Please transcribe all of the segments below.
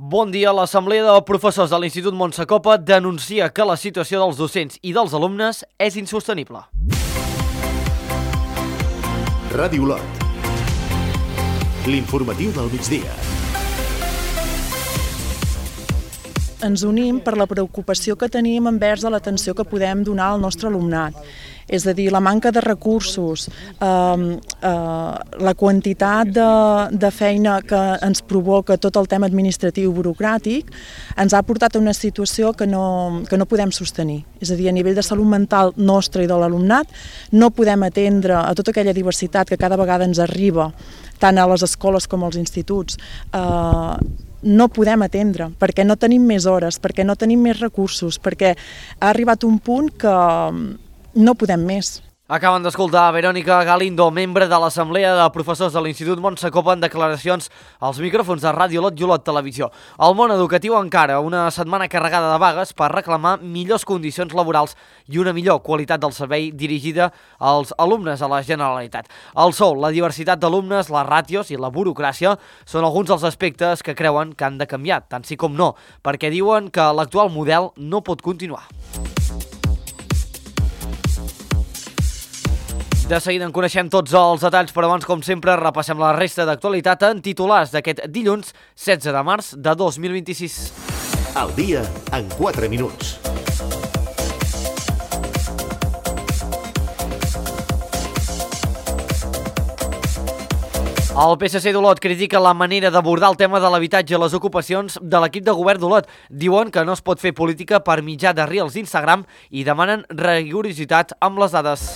Bon dia. L'Assemblea de Professors de l'Institut Montsacopa denuncia que la situació dels docents i dels alumnes és insostenible. Ràdio Olot. L'informatiu del migdia. Ens unim per la preocupació que tenim envers de l'atenció que podem donar al nostre alumnat. És a dir, la manca de recursos, la quantitat de feina que ens provoca tot el tema administratiu i burocràtic ens ha portat a una situació que no podem sostenir. És a dir, a nivell de salut mental nostra i de l'alumnat no podem atendre a tota aquella diversitat que cada vegada ens arriba, tant a les escoles com als instituts, no podem atendre, perquè no tenim més hores, perquè no tenim més recursos, perquè ha arribat un punt que no podem més. Acaben d'escoltar Verònica Galindo, membre de l'Assemblea de Professors de l'Institut Montsacopa, en declaracions als micròfons de Ràdio Olot i Olot Televisió. El món educatiu encara una setmana carregada de vagues per reclamar millors condicions laborals i una millor qualitat del servei dirigida als alumnes a la Generalitat. El sou, la diversitat d'alumnes, les ràtios i la burocràcia són alguns dels aspectes que creuen que han de canviar, tant sí com no, perquè diuen que l'actual model no pot continuar. De seguida en coneixem tots els detalls, però abans, com sempre, repassem la resta d'actualitat en titulars d'aquest dilluns 16 de març de 2026. Al dia en 4 minuts. El PSC d'Olot critica la manera d'abordar el tema de l'habitatge i les ocupacions de l'equip de govern d'Olot. Diuen que no es pot fer política per mitjà de reels d'Instagram i demanen rigorositat amb les dades.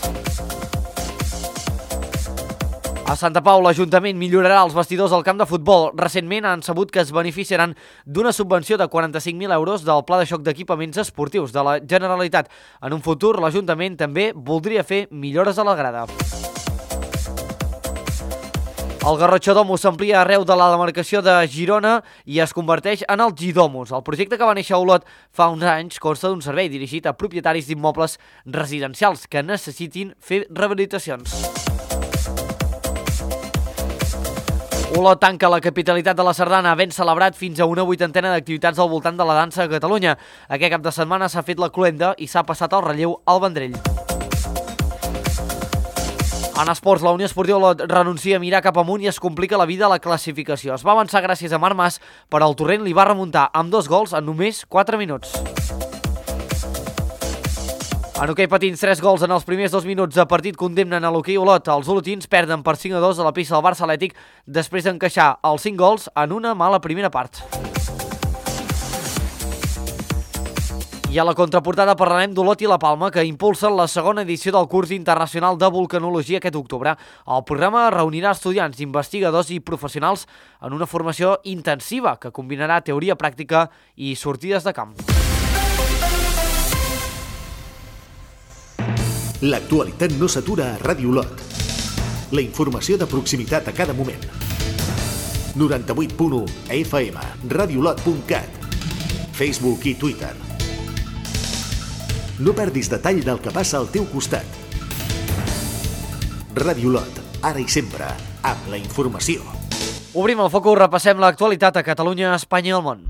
A Santa Pau, l'Ajuntament millorarà els vestidors al camp de futbol. Recentment han sabut que es beneficiaran d'una subvenció de 45.000 euros del Pla de Xoc d'Equipaments Esportius de la Generalitat. En un futur, l'Ajuntament també voldria fer millores a la grada. El Garrotxodomus s'amplia arreu de la demarcació de Girona i es converteix en el Gidomus. El projecte que va néixer a Olot fa uns anys consta d'un servei dirigit a propietaris d'immobles residencials que necessitin fer rehabilitacions. Olot tanca la capitalitat de la sardana, havent celebrat fins a una 80ena d'activitats al voltant de la dansa a Catalunya. Aquest cap de setmana s'ha fet la cloenda i s'ha passat el relleu al Vendrell. En esports, la Unió Esportiva Olot renuncia a mirar cap amunt i es complica la vida a la classificació. Es va avançar gràcies a Marc Mas, però el Torrent li va remuntar amb 2 gols en només 4 minuts. En hoquei patins, 3 gols en els primers 2 minuts de partit condemnen a l'hoquei Olot. Els olotins perden per 5-2 a la pista del Barça Atlètic després d'encaixar els 5 gols en una mala primera part. I a la contraportada parlarem d'Olot i la Palma, que impulsen la segona edició del curs internacional de vulcanologia aquest octubre. El programa reunirà estudiants, investigadors i professionals en una formació intensiva que combinarà teoria pràctica i sortides de camp. L'actualitat no s'atura a Ràdio Olot. La informació de proximitat a cada moment. 98.1 FM, radioolot.cat, Facebook i Twitter. No perdis detall del que passa al teu costat. Ràdio Olot, ara i sempre, amb la informació. Obrim el focus, repassem l'actualitat a Catalunya, Espanya i el món.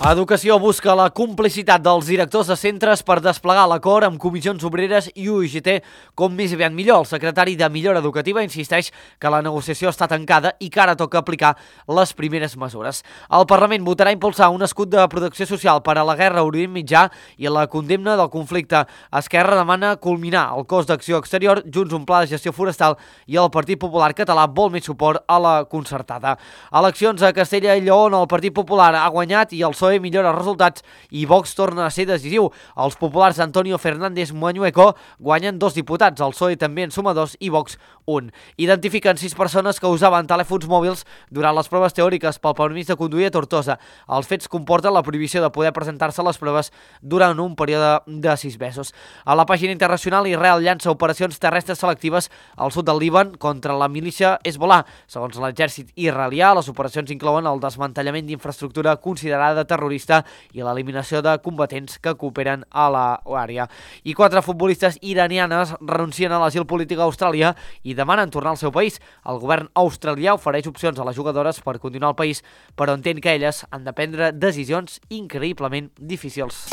Educació busca la complicitat dels directors de centres per desplegar l'acord amb comissions obreres i UGT com més aviat millor. El secretari de Millora Educativa insisteix que la negociació està tancada i que ara toca aplicar les primeres mesures. El Parlament votarà impulsar un escut de protecció social per a la guerra a Orient Mitjà i la condemna del conflicte. Esquerra demana culminar el cos d'acció exterior, Junts un pla de gestió forestal i el Partit Popular Català vol més suport a la concertada. Eleccions a Castella i Lleó on el Partit Popular ha guanyat i el PSOE millora els resultats i Vox torna a ser decisiu. Els populars Antonio Fernández Muñeco guanyen 2 diputats, el PSOE també en suma 2 i Vox 1. Identifiquen 6 persones que usaven telèfons mòbils durant les proves teòriques pel permís de conduir a Tortosa. Els fets comporten la prohibició de poder presentar-se a les proves durant un període de 6 mesos. A la pàgina internacional, Israel llança operacions terrestres selectives al sud del Líban contra la milícia Hezbollah. Segons l'exèrcit israelià, les operacions inclouen el desmantellament d'infraestructura considerada terrorista terrorista i l'eliminació de combatents que cooperen a l'àrea. I 4 futbolistes iranianes renuncien a l'asil polític a Austràlia i demanen tornar al seu país. El govern australià ofereix opcions a les jugadores per continuar al país, però entén que elles han de prendre decisions increïblement difícils.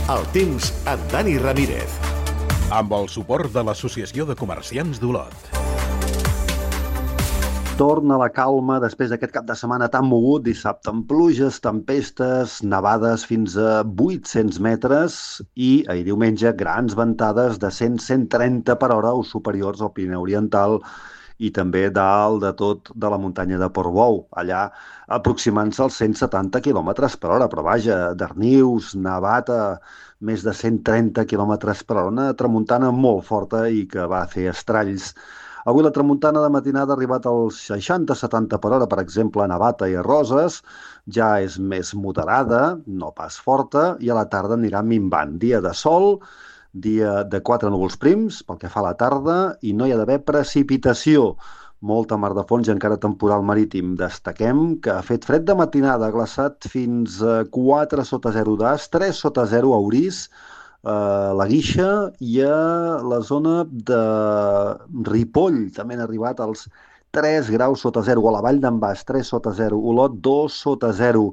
El temps amb Dani Ramírez. Amb el suport de l'Associació de Comerciants d'Olot. Torna la calma després d'aquest cap de setmana tan mogut, dissabte amb pluges, tempestes, nevades fins a 800 metres i ahir diumenge grans ventades de 100-130 per hora o superiors al Pirineu Oriental i també dalt de tot de la muntanya de Portbou, allà aproximant-se als 170 km per hora, però vaja, Darnius, nevat a més de 130 km per hora, una tramuntana molt forta i que va fer estralls. Avui la tramuntana de matinada ha arribat als 60-70 per hora, per exemple, a Navata i a Roses, ja és més moderada, no pas forta, i a la tarda anirà minvant. Dia de sol, dia de 4 núvols prims, pel que fa a la tarda, i no hi ha d'haver precipitació. Molta mar de fons i encara temporal marítim. Destaquem que ha fet fred de matinada, ha glaçat fins a 4 sota 0 d'As, 3 sota 0 a Orís, la Guixa i a la zona de Ripoll. També han arribat als 3 graus sota 0, o a la Vall d'en Bas, 3 sota 0, Olot 2 sota 0,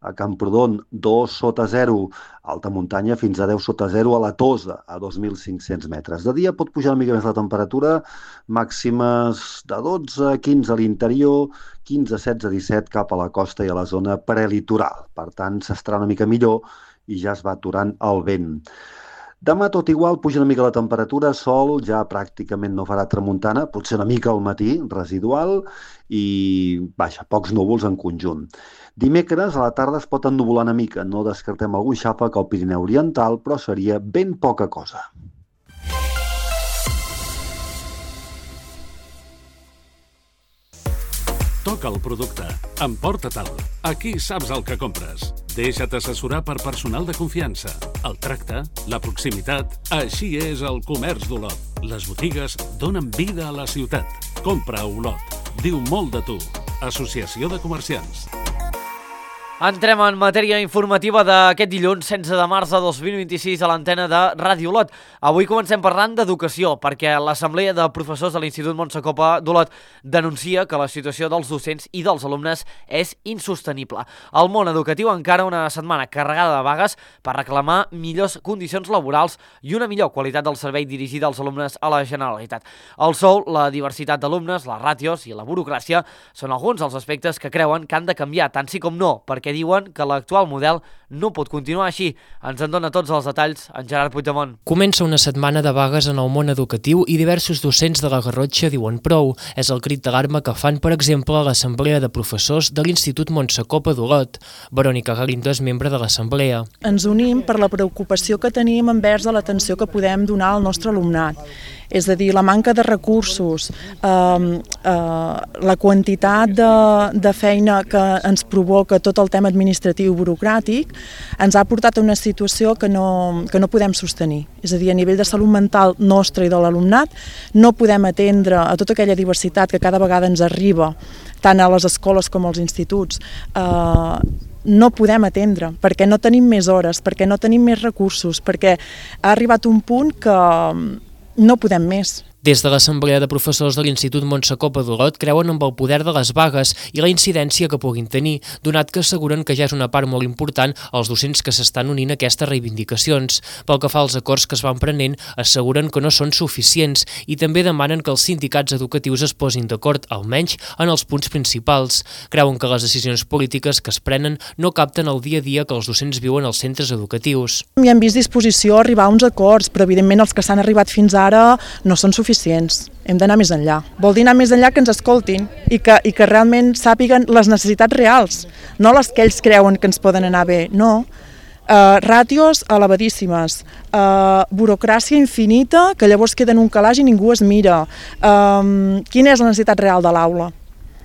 a Camprodon 2 sota 0, alta muntanya fins a 10 sota 0 a la Tosa, a 2.500 metres. De dia pot pujar una mica més la temperatura, màximes de 12 a 15 a l'interior, 15 a 16 a 17 cap a la costa i a la zona prelitoral. Per tant, s'estarà una mica millor i ja es va aturant el vent. Demà tot igual, puja una mica la temperatura, sol, ja pràcticament no farà tramuntana, potser una mica al matí, residual, i vaja, pocs núvols en conjunt. Dimecres a la tarda es pot ennuvolar una mica, no descartem algun xàfec al Pirineu Oriental, però seria ben poca cosa. Toca el producte, emporta-te'l. Aquí saps el que compres. Deixa't assessorar per personal de confiança. El tracte, la proximitat, així és el comerç d'Olot. Les botigues donen vida a la ciutat. Compra a Olot. Diu molt de tu. Associació de Comerciants. Entrem en matèria informativa d'aquest dilluns 16 de març de 2026 a l'antena de Ràdio Olot. Avui comencem parlant d'educació, perquè l'Assemblea de Professors de l'Institut Montse Copa d'Olot denuncia que la situació dels docents i dels alumnes és insostenible. El món educatiu encara una setmana carregada de vagues per reclamar millors condicions laborals i una millor qualitat del servei dirigida als alumnes a la Generalitat. El sou, la diversitat d'alumnes, les ràtios i la burocràcia són alguns dels aspectes que creuen que han de canviar, tant sí com no, perquè diuen que l'actual model no pot continuar així. Ens en dona tots els detalls en Gerard Puigdemont. Comença una setmana de vagues en el món educatiu i diversos docents de la Garrotxa diuen prou. És el crit d'alarma que fan, per exemple, a l'Assemblea de Professors de l'Institut Montse Copa d'Olot. Verònica Galindo és membre de l'Assemblea. Ens unim per la preocupació que tenim envers de l'atenció que podem donar al nostre alumnat. És a dir, la manca de recursos, la quantitat de feina que ens provoca tot el tema administratiu i burocràtic ens ha portat a una situació que no podem sostenir. És a dir, a nivell de salut mental nostra i de l'alumnat no podem atendre a tota aquella diversitat que cada vegada ens arriba, tant a les escoles com als instituts. No podem atendre, perquè no tenim més hores, perquè no tenim més recursos, perquè ha arribat un punt que no podem més. Des de l'Assemblea de Professors de l'Institut Montse Copa d'Olot creuen amb el poder de les vagues i la incidència que puguin tenir, donat que asseguren que ja és una part molt important els docents que s'estan unint a aquestes reivindicacions. Pel que fa als acords que es van prenent, asseguren que no són suficients i també demanen que els sindicats educatius es posin d'acord, almenys en els punts principals. Creuen que les decisions polítiques que es prenen no capten el dia a dia que els docents viuen als centres educatius. Hi hem vist disposició a arribar a uns acords, però evidentment els que s'han arribat fins ara no són suficients. Hem d'anar més enllà. Vol dir anar més enllà que ens escoltin i que realment sàpiguen les necessitats reals, no les que ells creuen que ens poden anar bé, no. Ràtios elevadíssimes, burocràcia infinita que llavors queda en un calaix i ningú es mira. Quina és la necessitat real de l'aula?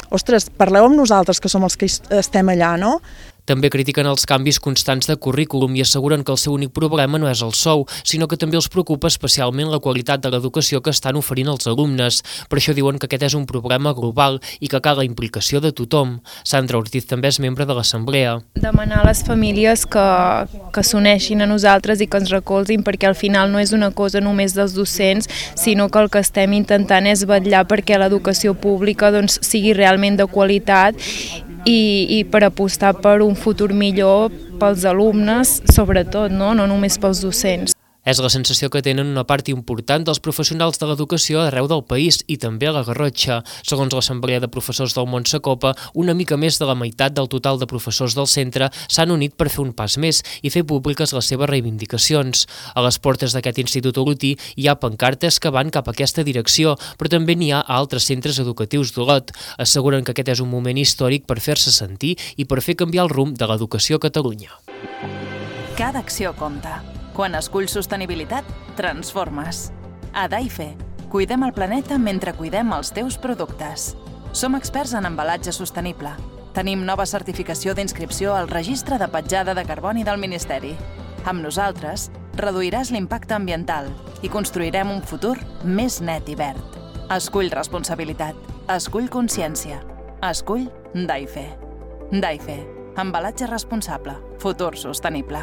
Ostres, parleu amb nosaltres que som els que estem allà, no? També critiquen els canvis constants de currículum i asseguren que el seu únic problema no és el sou, sinó que també els preocupa especialment la qualitat de l'educació que estan oferint els alumnes. Per això diuen que aquest és un problema global i que cal la implicació de tothom. Sandra Ortiz també és membre de l'Assemblea. Demanar a les famílies que s'uneixin a nosaltres i que ens recolzin, perquè al final no és una cosa només dels docents, sinó que el que estem intentant és vetllar perquè l'educació pública sigui realment de qualitat i per apostar per un futur millor pels alumnes, sobretot, no només pels docents. És la sensació que tenen una part important dels professionals de l'educació arreu del país i també a la Garrotxa. Segons l'Assemblea de Professors del Montsecopa, una mica més de la meitat del total de professors del centre s'han unit per fer un pas més i fer públiques les seves reivindicacions. A les portes d'aquest institut olotí hi ha pancartes que van cap a aquesta direcció, però també n'hi ha a altres centres educatius d'Olot. Asseguren que aquest és un moment històric per fer-se sentir i per fer canviar el rumb de l'educació a Catalunya. Cada acció compta. Quan esculls sostenibilitat, transformes. A Daife, cuidem el planeta mentre cuidem els teus productes. Som experts en embalatge sostenible. Tenim nova certificació d'inscripció al Registre de Petjada de Carboni del Ministeri. Amb nosaltres, reduiràs l'impacte ambiental i construirem un futur més net i verd. Escull responsabilitat. Escull consciència. Escull Daife. Daife, embalatge responsable. Futur sostenible.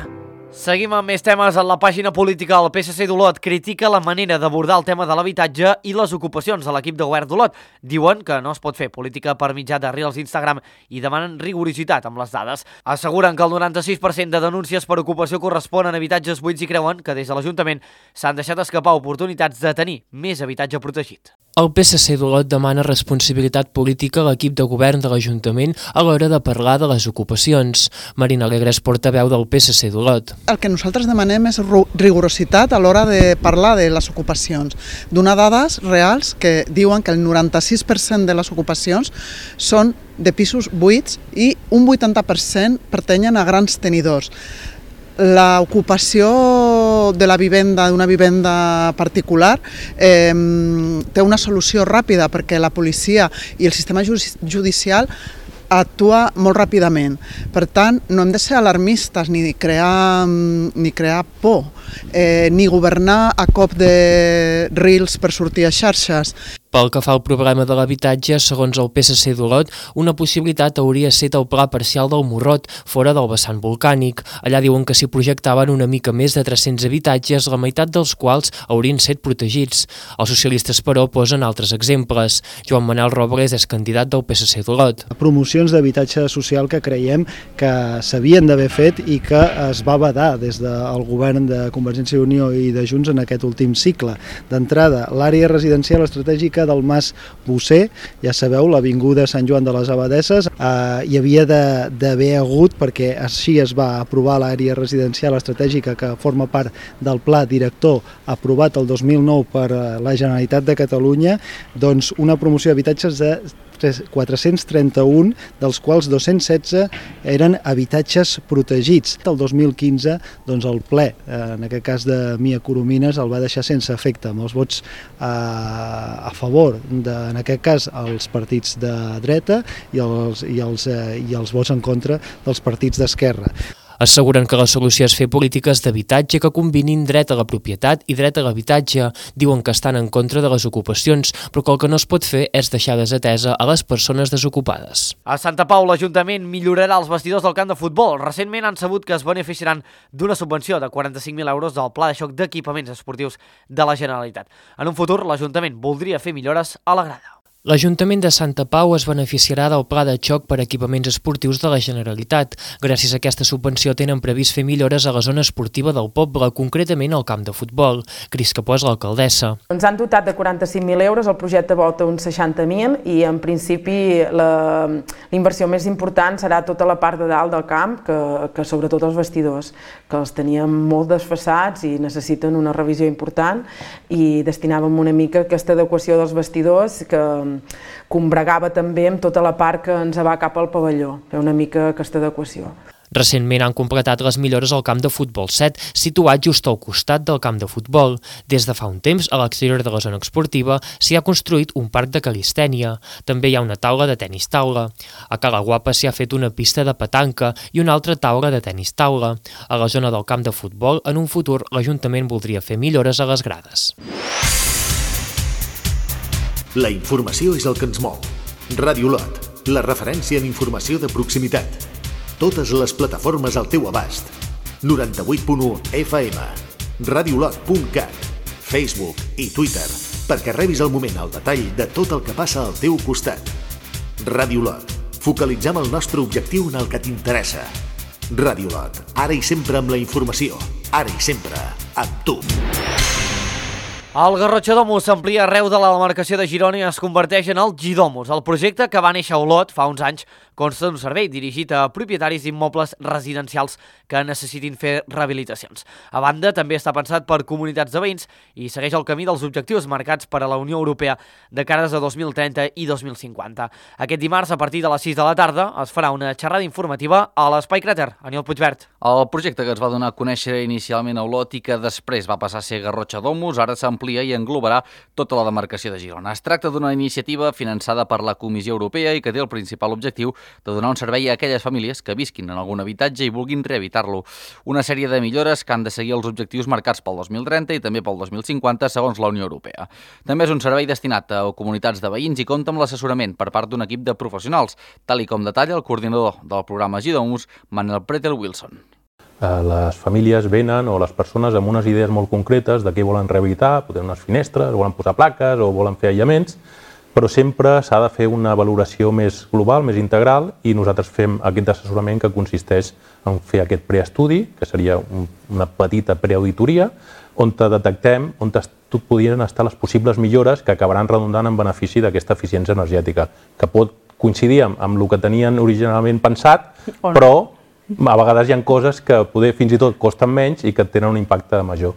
Seguim amb més temes en la pàgina política. El PSC d'Olot critica la manera d'abordar el tema de l'habitatge i les ocupacions de l'equip de govern d'Olot. Diuen que no es pot fer política per mitjà de reels d'Instagram i demanen rigorositat amb les dades. Asseguren que el 96% de denúncies per ocupació corresponen a habitatges buits i creuen que des de l'Ajuntament s'han deixat escapar oportunitats de tenir més habitatge protegit. El PSC d'Olot demana responsabilitat política a l'equip de govern de l'Ajuntament a l'hora de parlar de les ocupacions. Marina Alegre és portaveu del PSC d'Olot. El que nosaltres demanem és rigorositat a l'hora de parlar de les ocupacions. Donar dades reals que diuen que el 96% de les ocupacions són de pisos buits i un 80% pertanyen a grans tenidors. L'ocupació de la vivenda, d'una vivenda particular, té una solució ràpida perquè la policia i el sistema judicial actua molt ràpidament. Per tant, no hem de ser alarmistes ni crear por, ni governar a cop de reels per sortir a xarxes. Pel que fa al problema de l'habitatge, segons el PSC d'Olot, una possibilitat hauria estat el pla parcial del Morrot, fora del vessant volcànic. Allà diuen que s'hi projectaven una mica més de 300 habitatges, la meitat dels quals haurien estat protegits. Els socialistes, però, posen altres exemples. Joan Manel Robles és candidat del PSC d'Olot. Promocions d'habitatge social que creiem que s'havien d'haver fet i que es va vedar des del govern de Convergència i Unió i de Junts en aquest últim cicle. D'entrada, l'àrea residencial estratègica del Mas Bosser, ja sabeu, l'avinguda Sant Joan de les Abadesses, hi havia d'haver hagut, perquè així es va aprovar l'àrea residencial estratègica que forma part del pla director aprovat el 2009 per la Generalitat de Catalunya, doncs una promoció d'habitatges de 431, dels quals 216 eren habitatges protegits. El 2015, doncs el ple, en aquest cas de Mia Coromines, el va deixar sense efecte, amb els vots a favor, en aquest cas, els partits de dreta i els vots en contra dels partits d'esquerra. Asseguren que la solució és fer polítiques d'habitatge que combinin dret a la propietat i dret a l'habitatge. Diuen que estan en contra de les ocupacions, però que el que no es pot fer és deixar desatesa a les persones desocupades. A Santa Pau, l'Ajuntament millorarà els vestidors del camp de futbol. Recentment han sabut que es beneficiaran d'una subvenció de 45.000 euros del Pla de Xoc d'Equipaments Esportius de la Generalitat. En un futur, l'Ajuntament voldria fer millores a la grada. L'Ajuntament de Santa Pau es beneficiarà del Pla de Xoc per equipaments esportius de la Generalitat. Gràcies a aquesta subvenció tenen previst fer millores a la zona esportiva del poble, concretament al camp de futbol. Cris Capó és l'alcaldessa. Ens han dotat de 45.000 euros, el projecte volta uns 60.000 i en principi la inversió més important serà tota la part de dalt del camp, que sobretot els vestidors, que els teníem molt desfasats i necessiten una revisió important, i destinàvem una mica a aquesta adequació dels vestidors que combregava també amb tota la part que ens va cap al pavelló, fer una mica aquesta adequació. Recentment han completat les millores al camp de futbol 7, situat just al costat del camp de futbol. Des de fa un temps, a l'exterior de la zona esportiva, s'hi ha construït un parc de calistènia. També hi ha una taula de tenis taula. A Cala Guapa s'hi ha fet una pista de petanca i una altra taula de tenis taula. A la zona del camp de futbol, en un futur, l'Ajuntament voldria fer millores a les grades. La informació és el que ens mou. Ràdio Lot, la referència en informació de proximitat. Totes les plataformes al teu abast. 98.1 FM, radiolot.cat, Facebook i Twitter, perquè rebis al moment el detall de tot el que passa al teu costat. Ràdio Lot, focalitzem el nostre objectiu en el que t'interessa. Ràdio Lot, ara i sempre amb la informació, ara i sempre amb tu. El Garrotxa-Domus s'amplia arreu de la demarcació de Girona i es converteix en el Gidomus. El projecte, que va néixer a Olot fa uns anys, consta d'un servei dirigit a propietaris d'immobles residencials que necessitin fer rehabilitacions. A banda, també està pensat per comunitats de veïns i segueix el camí dels objectius marcats per a la Unió Europea de cares a 2030 i 2050. Aquest dimarts, a partir de les 6 de la tarda, es farà una xerrada informativa a l'Espai Cràter. Aniol Puigvert. El projecte, que es va donar a conèixer inicialment a Olot i que després va passar a ser Garrotxa-Domus, ara s'amplia i englobarà tota la demarcació de Girona. Es tracta d'una iniciativa finançada per la Comissió Europea i que té el principal objectiu de donar un servei a aquelles famílies que visquin en algun habitatge i vulguin rehabilitar-lo. Una sèrie de millores que han de seguir els objectius marcats pel 2030 i també pel 2050, segons la Unió Europea. També és un servei destinat a comunitats de veïns i compta amb l'assessorament per part d'un equip de professionals, tal i com detalla el coordinador del programa Gidomus, Manel Pretel-Wilson. Les famílies venen, o les persones, amb unes idees molt concretes de què volen rehabilitar, poden unes finestres, volen posar plaques o volen fer aïllaments, però sempre s'ha de fer una valoració més global, més integral, i nosaltres fem aquest assessorament que consisteix en fer aquest preestudi, que seria una petita preauditoria, on detectem on podrien estar les possibles millores que acabaran redundant en benefici d'aquesta eficiència energètica, que pot coincidir amb el que tenien originalment pensat, però a vegades hi ha coses que fins i tot costen menys i que tenen un impacte major.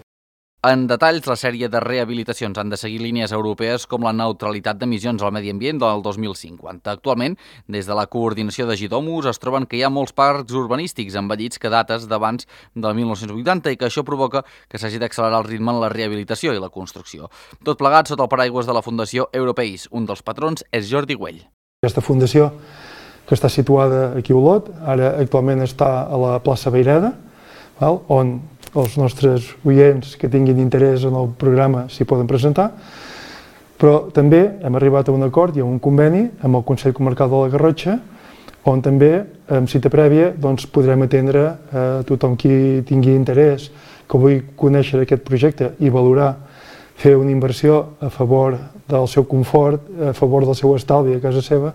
En detalls, la sèrie de rehabilitacions han de seguir línies europees com la neutralitat d'emissions al medi ambient del 2050. Actualment, des de la coordinació de Gidomus es troben que hi ha molts parcs urbanístics envellits que dates d'abans del 1980 i que això provoca que s'hagi d'accelerar el ritme en la rehabilitació i la construcció. Tot plegat sota el paraigües de la Fundació Europeis. Un dels patrons és Jordi Güell. Aquesta fundació, que està situada aquí a Olot, ara actualment està a la plaça Vayreda, on els nostres oients que tinguin interès en el programa s'hi poden presentar, però també hem arribat a un acord i a un conveni amb el Consell Comarcal de la Garrotxa, on també, amb cita prèvia, podrem atendre a tothom qui tingui interès, que vulgui conèixer aquest projecte i valorar fer una inversió a favor del seu confort, a favor del seu estalvi a casa seva,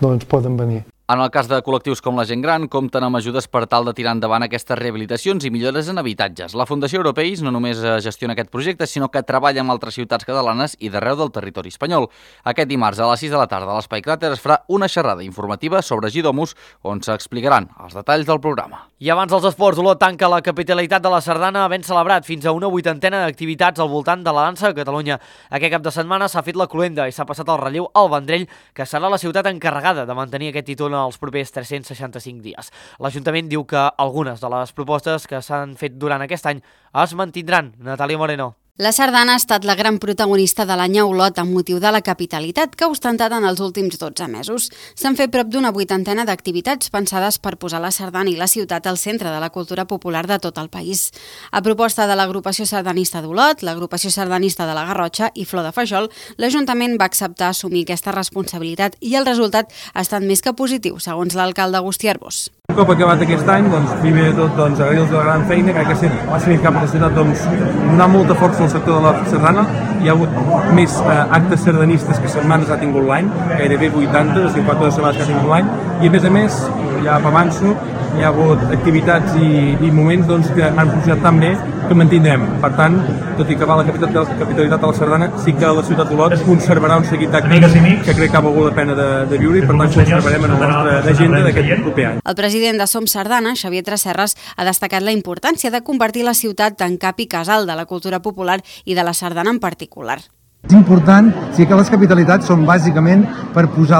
doncs poden venir. En el cas de col·lectius com la gent gran, compten amb ajudes per tal de tirar endavant aquestes rehabilitacions i millores en habitatges. La Fundació Europeis no només gestiona aquest projecte, sinó que treballa amb altres ciutats catalanes i d'arreu del territori espanyol. Aquest dimarts a les 6 de la tarda a l'Espai Cràter es farà una xerrada informativa sobre Gidomus, on s'explicaran els detalls del programa. I abans dels esports, Olot tanca la capitalitat de la Sardana, havent celebrat fins a una 80ena d'activitats al voltant de la dansa a Catalunya. Aquest cap de setmana s'ha fet la cloenda i s'ha passat el relleu al Vendrell, que serà la ciutat encarregada de mantenir aquest títol els propers 365 dies. L'Ajuntament diu que algunes de les propostes que s'han fet durant aquest any es mantindran. Natàlia Moreno. La sardana ha estat la gran protagonista de l'any a Olot amb motiu de la capitalitat que ha ostentat en els últims 12 mesos. S'han fet prop d'una 80ena d'activitats pensades per posar la sardana i la ciutat al centre de la cultura popular de tot el país. A proposta de l'agrupació sardanista d'Olot, l'agrupació sardanista de la Garrotxa i Flor de Fajol, l'Ajuntament va acceptar assumir aquesta responsabilitat i el resultat ha estat més que positiu, segons l'alcalde Agustí Arbós. Un cop acabat aquest any, primer de tot agrair-los la gran feina, crec que ha sigut capacitat donar molta força al sector de la sardana. Hi ha hagut més actes sardanistes que setmanes ha tingut l'any, gairebé 80, o sigui, 4 setmanes que ha tingut l'any, i a més, ja avanço, hi ha hagut activitats i moments que han funcionat tan bé que mantindrem. Per tant, tot i que va la capitalitat de la sardana, sí que la ciutat d'Olot conservarà un seguit d'actes que crec que ha valgut la pena de viure i per tant conservarem en la nostra agenda d'aquest proper any. El president de Som Sardana, Xavier Tresserras, ha destacat la importància de convertir la ciutat en cap i casal de la cultura popular i de la sardana en particular. És important, sí que les capitalitats són bàsicament per posar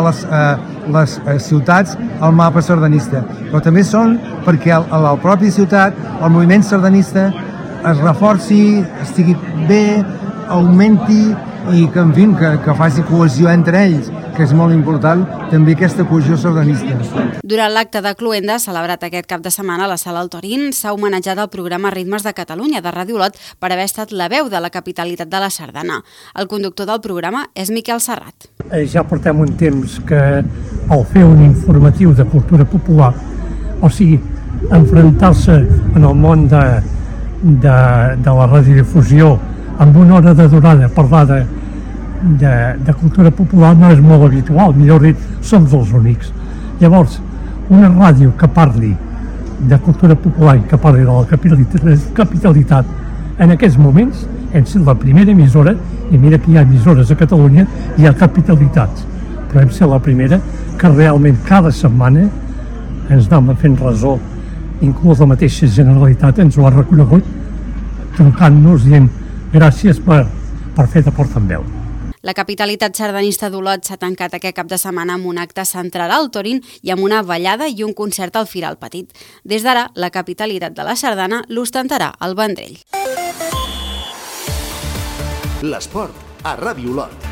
les ciutats al mapa sardanista, però també són perquè a la pròpia ciutat el moviment sardanista es reforci, estigui bé, augmenti i que, en fi, que faci cohesió entre ells, que és molt important també aquesta cohesió sardanista. Durant l'acte de Cluenda, celebrat aquest cap de setmana a la Sala Altorín, s'ha homenatjat el programa Ritmes de Catalunya de Ràdio Olot per haver estat la veu de la capitalitat de la sardana. El conductor del programa és Miquel Serrat. Ja portem un temps que al fer un informatiu de cultura popular, o sigui, enfrontar-se en el món de la radiodifusió amb una hora de durada parlar de cultura popular no és molt habitual, millor dit, som els únics. Llavors, una ràdio que parli de cultura popular i que parli de la capitalitat en aquests moments hem sigut la primera emissora, i mira que hi ha emissores a Catalunya, hi ha capitalitats, però hem sigut la primera que realment cada setmana ens anem fent ressò, inclús la mateixa Generalitat ens ho ha reconegut, trucant-nos dient gràcies per fer de portaveu. La capitalitat sardanista d'Olot s'ha tancat aquest cap de setmana amb un acte central al Torín i amb una ballada i un concert al Firal Petit. Des d'ara, la capitalitat de la sardana l'ostentarà al Vendrell. L'esport a Ràdio Olot.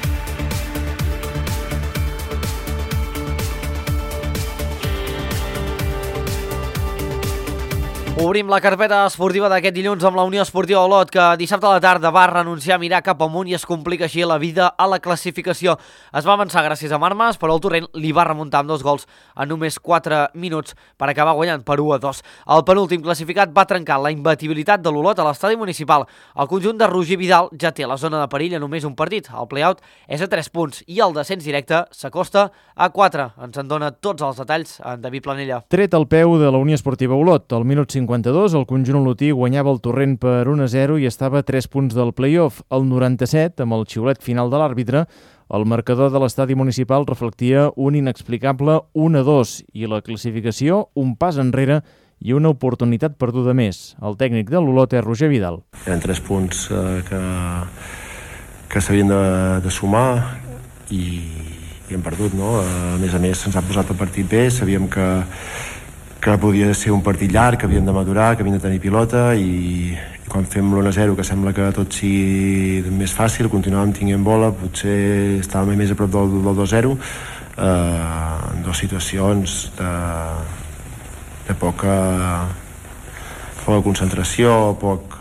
Obrim la carpeta esportiva d'aquest dilluns amb la Unió Esportiva Olot, que dissabte a la tarda va renunciar a mirar cap amunt i es complica així la vida a la classificació. Es va avançar gràcies a Marmas, però el Torrent li va remuntar amb 2 gols en només 4 minuts per acabar guanyant per 1-2. El penúltim classificat va trencar la imbatibilitat de l'Olot a l'estadi municipal. El conjunt de Roger Vidal ja té la zona de perill a només un partit. El play-out és a 3 punts i el descens directe s'acosta a 4. Ens en dona tots els detalls en David Planella. Tret al peu de la Unió Esportiva Olot, al minut 52, el conjunt olotí guanyava el Torrent per 1-0 i estava a 3 punts del play-off. Al 97, amb el xiulet final de l'àrbitre, el marcador de l'estadi municipal reflectia un inexplicable 1-2 i la classificació un pas enrere i una oportunitat perduda més. El tècnic de l'Olot és Roger Vidal. Eren 3 punts que s'havien de sumar i hem perdut, no? A més, se'ns ha posat el partit bé, sabíem que podia ser un partit llarg, que havíem de madurar, que havíem de tenir pilota i quan fem l'1-0, que sembla que tot sigui més fàcil, continuàvem tinguent bola, potser estàvem més a prop del 2-0, en 2 situacions de poca concentració, poc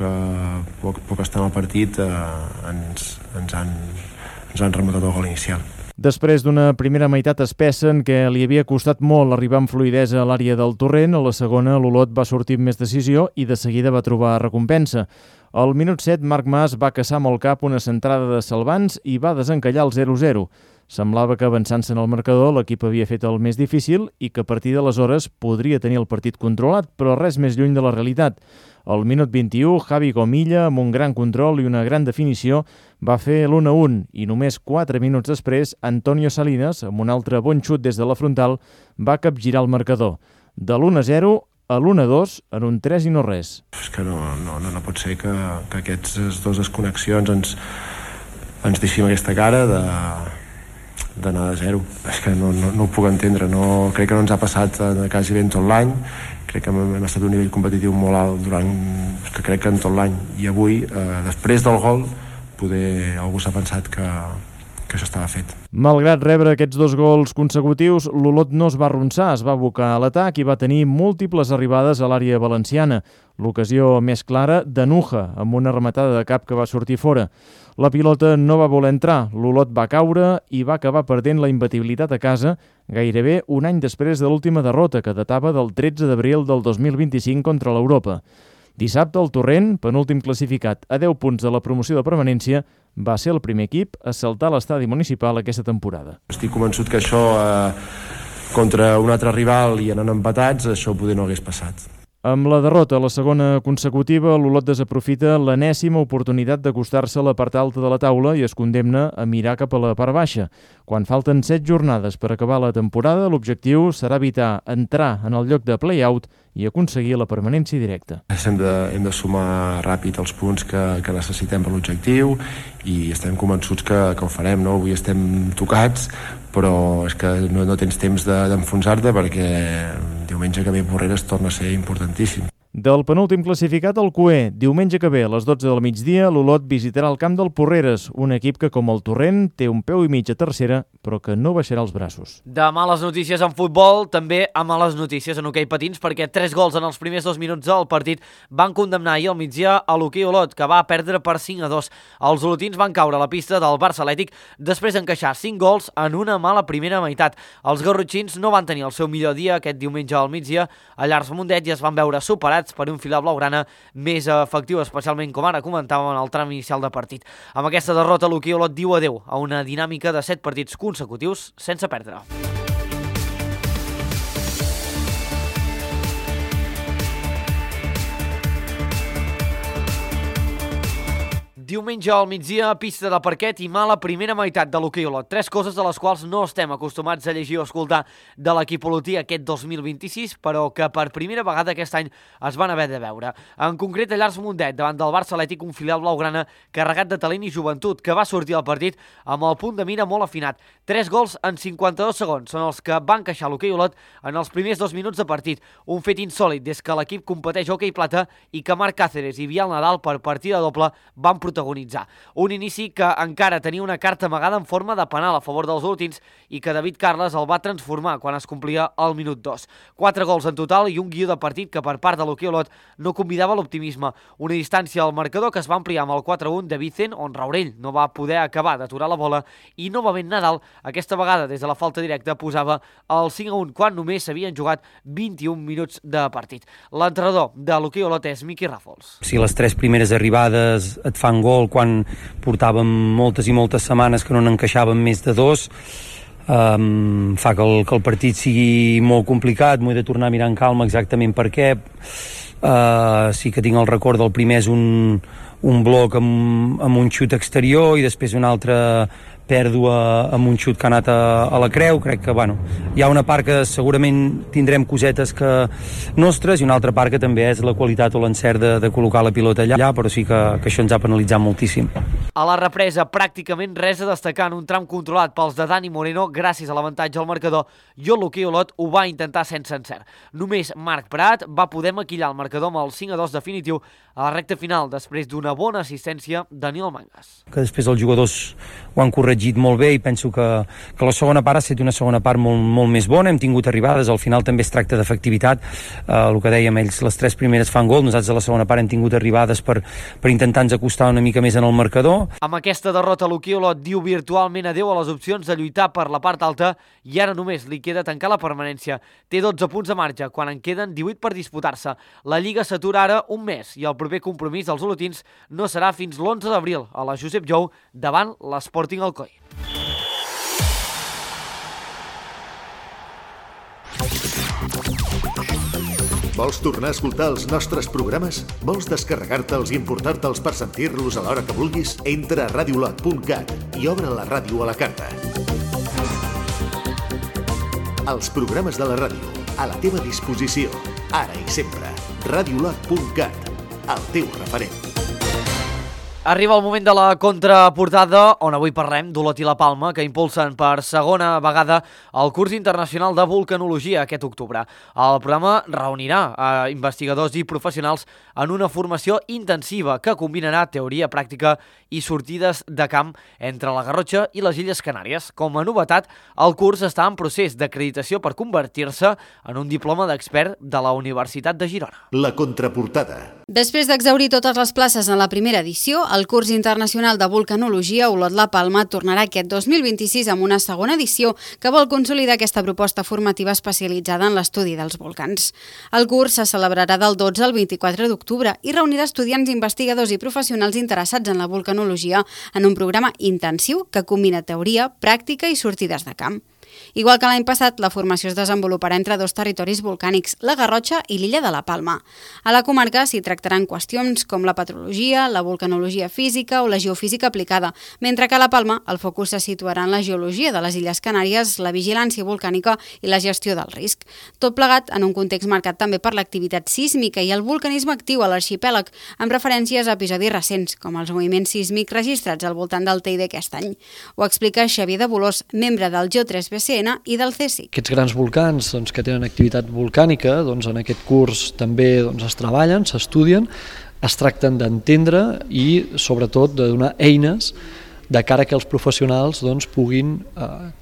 estar en el partit, ens han remuntat el gol inicial. Després d'una primera meitat espessa en què li havia costat molt arribar amb fluïdesa a l'àrea del Torrent, a la segona l'Olot va sortir amb més decisió i de seguida va trobar recompensa. Al minut 7, Marc Mas va caçar amb el cap una centrada de Salvans i va desencallar el 0-0. Semblava que avançant-se en el marcador l'equip havia fet el més difícil i que a partir d'aleshores podria tenir el partit controlat, però res més lluny de la realitat. Al minut 21, Javi Gomilla, amb un gran control i una gran definició, va fer l'1-1 i només 4 minuts després, Antonio Salinas, amb un altre bon xut des de la frontal, va capgirar el marcador. De l'1-0 a l'1-2 en un 3 i no res. És que no pot ser que aquestes 2 desconnexions ens deixin aquesta cara d'anar de 0. És que no ho puc entendre. Crec que no ens ha passat quasi bé en tot l'any. Crec que hem estat a un nivell competitiu molt alt crec que en tot l'any. I avui, després del gol, poder algú s'ha pensat que això estava fet. Malgrat rebre aquests 2 gols consecutius, l'Olot no es va arronsar, es va abocar a l'atac i va tenir múltiples arribades a l'àrea valenciana. L'ocasió més clara, de Nuja, amb una rematada de cap que va sortir fora. La pilota no va voler entrar, l'Olot va caure i va acabar perdent la imbatibilitat a casa gairebé un any després de l'última derrota, que datava del 13 d'abril del 2025 contra l'Europa. Dissabte, el Torrent, penúltim classificat a 10 punts de la promoció de permanència, va ser el primer equip a saltar a l'estadi municipal aquesta temporada. Estic convençut que això, contra un altre rival i anant empatats, això poder no hagués passat. Amb la derrota a la segona consecutiva, l'Olot desaprofita l'enèsima oportunitat d'acostar-se a la part alta de la taula i es condemna a mirar cap a la part baixa. Quan falten 7 jornades per acabar la temporada, l'objectiu serà evitar entrar en el lloc de play-out i aconseguir la permanència directa. Hem de sumar ràpid els punts que necessitem per l'objectiu i estem convençuts que ho farem, no? Avui estem tocats, però és que no tens temps d'enfonsar-te perquè diumenge que ve Porreres torna a ser importantíssim. Del penúltim classificat al QE, diumenge que ve a les 12 del migdia, l'Olot visitarà el camp del Porreres, un equip que, com el Torrent, té un peu i mig a tercera, però que no baixarà els braços. De males notícies en futbol, també a males notícies en hoquei patins, perquè 3 gols en els primers 2 minuts del partit van condemnar ahir al migdia a l'hoquei Olot, que va perdre per 5-2. Els olotins van caure a la pista del Barça Atlètic després d'encaixar 5 gols en una mala primera meitat. Els garrotxins no van tenir el seu millor dia aquest diumenge al migdia a Llars Mundet i es van veure superats per un filar blaugrana més efectiu, especialment, com ara comentàvem, en el tram inicial de partit. Amb aquesta derrota, l'hoquei Olot diu adeu a una dinàmica de 7 partits consecutius sense perdre. Diumenge al migdia, pista de parquet i mala primera meitat de l'hoquei Olot. 3 coses de les quals no estem acostumats a llegir o escoltar de l'equip olotí aquest 2026, però que per primera vegada aquest any es van haver de veure. En concret, a Llars Mundet, davant del Barça Atlètic, un filial blaugrana carregat de talent i joventut, que va sortir al partit amb el punt de mira molt afinat. 3 gols en 52 segons són els que van encaixar l'hoquei Olot en els primers 2 minuts de partit. Un fet insòlit des que l'equip competeix hoquei plata i que Marc Cáceres i Biel Nadal per partida doble van protagonitzar. Un inici que encara tenia una carta amagada en forma de penal a favor dels olotins i que David Carles el va transformar quan es complia el minut 2. 4 gols en total i un guió de partit que per part de l'hoquei Olot no convidava l'optimisme. Una distància al marcador que es va ampliar amb el 4-1 de Vicent, on Raurell no va poder acabar d'aturar la bola i novament Nadal, aquesta vegada des de la falta directa, posava el 5-1 quan només s'havien jugat 21 minuts de partit. L'entrenador de l'hoquei Olot és Miqui Ràfols. Si les 3 primeres arribades et fan gol quan portàvem moltes i moltes setmanes que no n'encaixàvem més de 2, fa que el partit sigui molt complicat. M'ho he de tornar a mirar en calma exactament per què. Sí que tinc el record del primer és un bloc amb un xut exterior i després un altre pèrdua amb un xut que ha anat a la creu. Crec que hi ha una part que segurament tindrem cosetes nostres i una altra part que també és la qualitat o l'encert de col·locar la pilota allà, però sí que això ens ha penalitzat moltíssim. A la represa, pràcticament res a destacar en un tram controlat pels de Dani Moreno gràcies a l'avantatge al marcador, i l'hoquei Olot ho va intentar sense encert. Només Marc Prat va poder maquillar el marcador amb el 5-2 definitiu a la recta final després d'una bona assistència de Nil Mangas. Que després els jugadors ho han corregit molt bé i penso que la segona part ha estat una segona part molt més bona. Hem tingut arribades, al final també es tracta d'efectivitat. El que dèiem, ells les 3 primeres fan gol, nosaltres a la segona part hem tingut arribades per intentar-nos acostar una mica més en el marcador. Amb aquesta derrota, l'hoquei Olot diu virtualment adeu a les opcions de lluitar per la part alta i ara només li queda tancar la permanència. Té 12 punts de marge, quan en queden 18 per disputar-se. La Lliga s'atura ara un mes i el proper compromís dels olotins no serà fins l'11 d'abril a la Josep Jou davant l'Sporting Alcoi. Vols tornar a escoltar els nostres programes? Vols descarregar-te'ls i importar-te'ls per sentir-los a l'hora que vulguis? Entra a radiolot.cat i obre la ràdio a la carta. Els programes de la ràdio, a la teva disposició, ara i sempre. Radiolot.cat, el teu referent. Arriba el moment de la contraportada, on avui parlem d'Olot i la Palma, que impulsen per segona vegada el curs internacional de vulcanologia aquest octubre. El programa reunirà investigadors i professionals en una formació intensiva que combinarà teoria pràctica i sortides de camp entre la Garrotxa i les Illes Canàries. Com a novetat, el curs està en procés d'acreditació per convertir-se en un diploma d'expert de la Universitat de Girona. La contraportada. Després d'exhaurir totes les places en la primera edició, el curs internacional de vulcanologia Olot-La Palma tornarà aquest 2026 amb una segona edició que vol consolidar aquesta proposta formativa especialitzada en l'estudi dels volcans. El curs se celebrarà del 12 al 24 d'octubre i reunirà estudiants, investigadors i professionals interessats en la vulcanologia en un programa intensiu que combina teoria, pràctica i sortides de camp. Igual que l'any passat, la formació es desenvoluparà entre dos territoris volcànics, la Garrotxa i l'illa de la Palma. A la comarca s'hi tractaran qüestions com la petrologia, la vulcanologia física o la geofísica aplicada, mentre que a la Palma el focus se situarà en la geologia de les Illes Canàries, la vigilància volcànica i la gestió del risc. Tot plegat en un context marcat també per l'activitat sísmica i el vulcanisme actiu a l'arxipèlag, amb referències a episodis recents, com els moviments sísmics registrats al voltant del Teide aquest any. Ho explica Xavier de Bolós, membre del GEO3BCN i del CSIC. Aquests grans volcans que tenen activitat volcànica, en aquest curs també es treballen, s'estudien, es tracten d'entendre i sobretot de donar eines de cara que els professionals puguin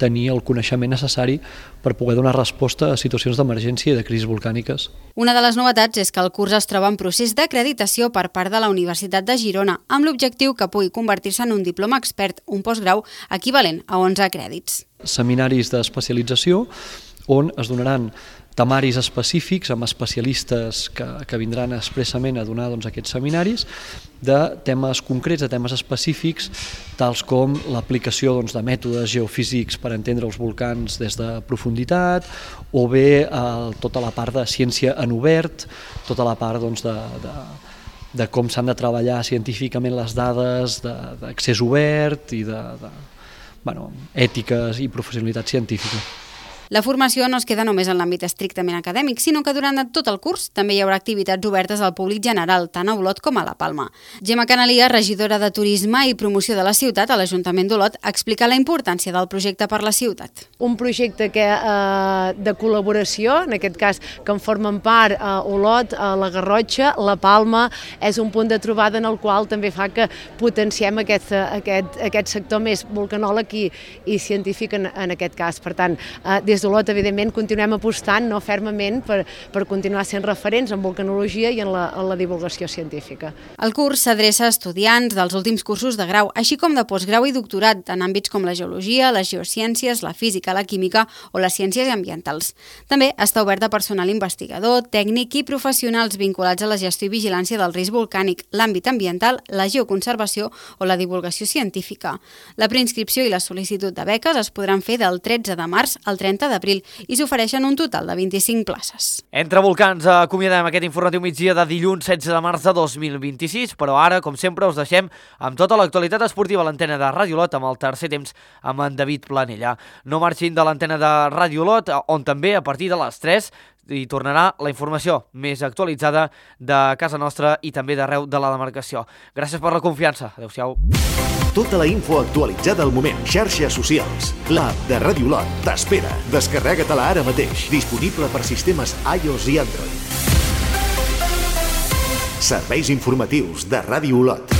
tenir el coneixement necessari per poder donar resposta a situacions d'emergència i de crisis volcàniques. Una de les novetats és que el curs es troba en procés d'acreditació per part de la Universitat de Girona, amb l'objectiu que pugui convertir-se en un diploma expert, un postgrau equivalent a 11 crèdits. Seminaris d'especialització on es donaran temaris específics amb especialistes que vindran expressament a donar aquests seminaris de temes concrets, de temes específics, tals com l'aplicació de mètodes geofísics per entendre els volcans des de profunditat, o bé tota la part de ciència en obert, tota la part de com s'han de treballar científicament les dades d'accés obert i ètiques i professionalitat científica. La formació no es queda només en l'àmbit estrictament acadèmic, sinó que durant tot el curs també hi haurà activitats obertes al públic general, tant a Olot com a la Palma. Gemma Canalia, regidora de Turisme i Promoció de la ciutat a l'Ajuntament d'Olot, explica la importància del projecte per la ciutat. Un projecte de col·laboració, en aquest cas que en formen part Olot, la Garrotxa, la Palma, és un punt de trobada en el qual també fa que potenciem aquest sector més vulcanòleg i científic en aquest cas. Per tant, des d'Olot, evidentment, continuem apostant fermament per continuar sent referents en vulcanologia i en la divulgació científica. El curs s'adreça a estudiants dels últims cursos de grau, així com de postgrau i doctorat, en àmbits com la geologia, les geociències, la física, la química o les ciències ambientals. També està obert a personal investigador, tècnic i professionals vinculats a la gestió i vigilància del risc volcànic, l'àmbit ambiental, la geoconservació o la divulgació científica. La preinscripció i la sol·licitud de beques es podran fer del 13 de març al 30 d'abril i s'ofereixen un total de 25 places. Entre volcans, acomiadem aquest informatiu migdia de dilluns 16 de març de 2026, però ara, com sempre, us deixem amb tota l'actualitat esportiva a l'antena de Ràdio Olot amb el tercer temps amb en David Planella. No marxin de l'antena de Ràdio Olot, on també a partir de les 3 hi tornarà la informació més actualitzada de casa nostra i també d'arreu de la demarcació. Gràcies per la confiança. Adéu-siau. Tota la info actualitzada al moment. Xarxes socials. L'app de Ràdio Olot t'espera. Descarrega-te-la ara mateix. Disponible per sistemes iOS i Android. Serveis informatius de Ràdio Olot.